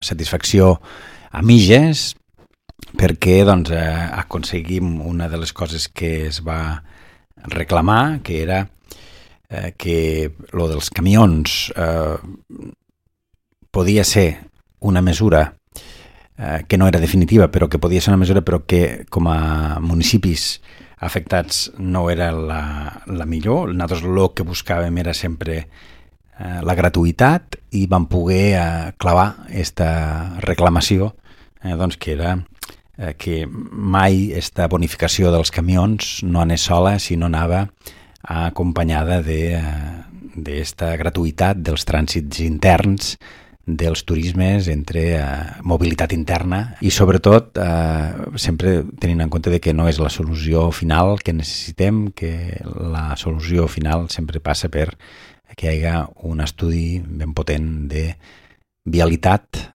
satisfacció a mitges, perquè doncs, aconseguim una de les coses que es va reclamar, que era que lo dels camions podia ser una mesura que no era definitiva, però que podia ser una mesura però que com a municipis afectats no era la millor. Nosaltres el que buscàvem era sempre la gratuïtat i vam poder clavar aquesta reclamació doncs que era que mai aquesta bonificació dels camions no anés sola, sinó anava acompanyada d'esta gratuïtat dels trànsits interns, dels turismes entre mobilitat interna i sobretot sempre tenint en compte que no és la solució final que necessitem, que la solució final sempre passa per que hi hagi un estudi ben potent de vialitat